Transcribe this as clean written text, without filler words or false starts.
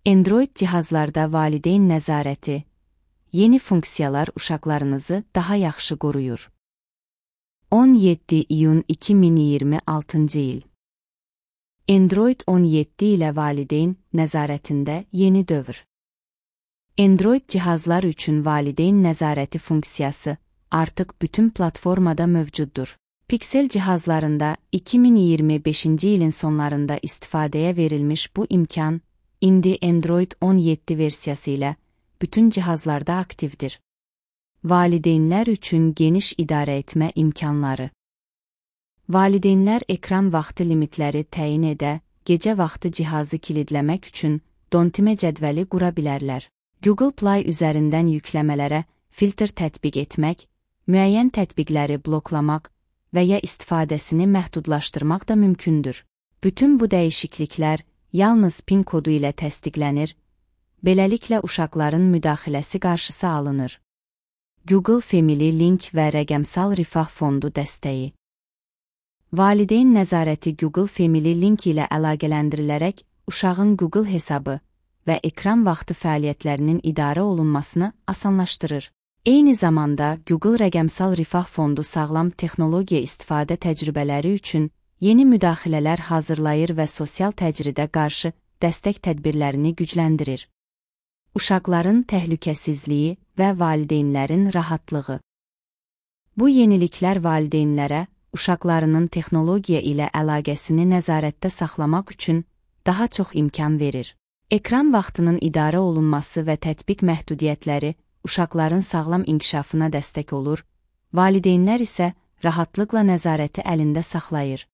Android cihazlarda valideyn nəzarəti, yeni funksiyalar uşaqlarınızı daha yaxşı qoruyur. 17 iyun 2026-cı il. Android 17 ilə valideyn nəzarətində yeni dövr. Android cihazlar üçün valideyn nəzarəti funksiyası artıq bütün platformada mövcuddur. Pixel cihazlarında 2025-ci ilin sonlarında istifadəyə verilmiş bu imkan, indi Android 17 versiyası ilə bütün cihazlarda aktivdir. Valideynlər üçün geniş idarə etmə imkanları. Valideynlər ekran vaxtı limitləri təyin edə, gecə vaxtı cihazı kilidləmək üçün dontimə cədvəli qura bilərlər. Google Play üzərindən yükləmələrə filtr tətbiq etmək, müəyyən tətbiqləri bloklamaq və ya istifadəsini məhdudlaşdırmaq da mümkündür. Bütün bu dəyişikliklər yalnız PIN kodu ilə təsdiqlənir, beləliklə uşaqların müdaxiləsi qarşısı alınır. Google Family Link və rəqəmsal rifah fondu dəstəyi. Valideyn nəzarəti Google Family Link ilə əlaqələndirilərək uşağın Google hesabı və ekran vaxtı fəaliyyətlərinin idarə olunmasını asanlaşdırır. Eyni zamanda Google rəqəmsal rifah fondu sağlam texnologiya istifadə təcrübələri üçün yeni müdaxilələr hazırlayır və sosial təcridə qarşı dəstək tədbirlərini gücləndirir. Uşaqların təhlükəsizliyi və valideynlərin rahatlığı. Bu yeniliklər valideynlərə uşaqlarının texnologiya ilə əlaqəsini nəzarətdə saxlamaq üçün daha çox imkan verir. Ekran vaxtının idarə olunması və tətbiq məhdudiyyətləri uşaqların sağlam inkişafına dəstək olur, valideynlər isə rahatlıqla nəzarəti əlində saxlayır.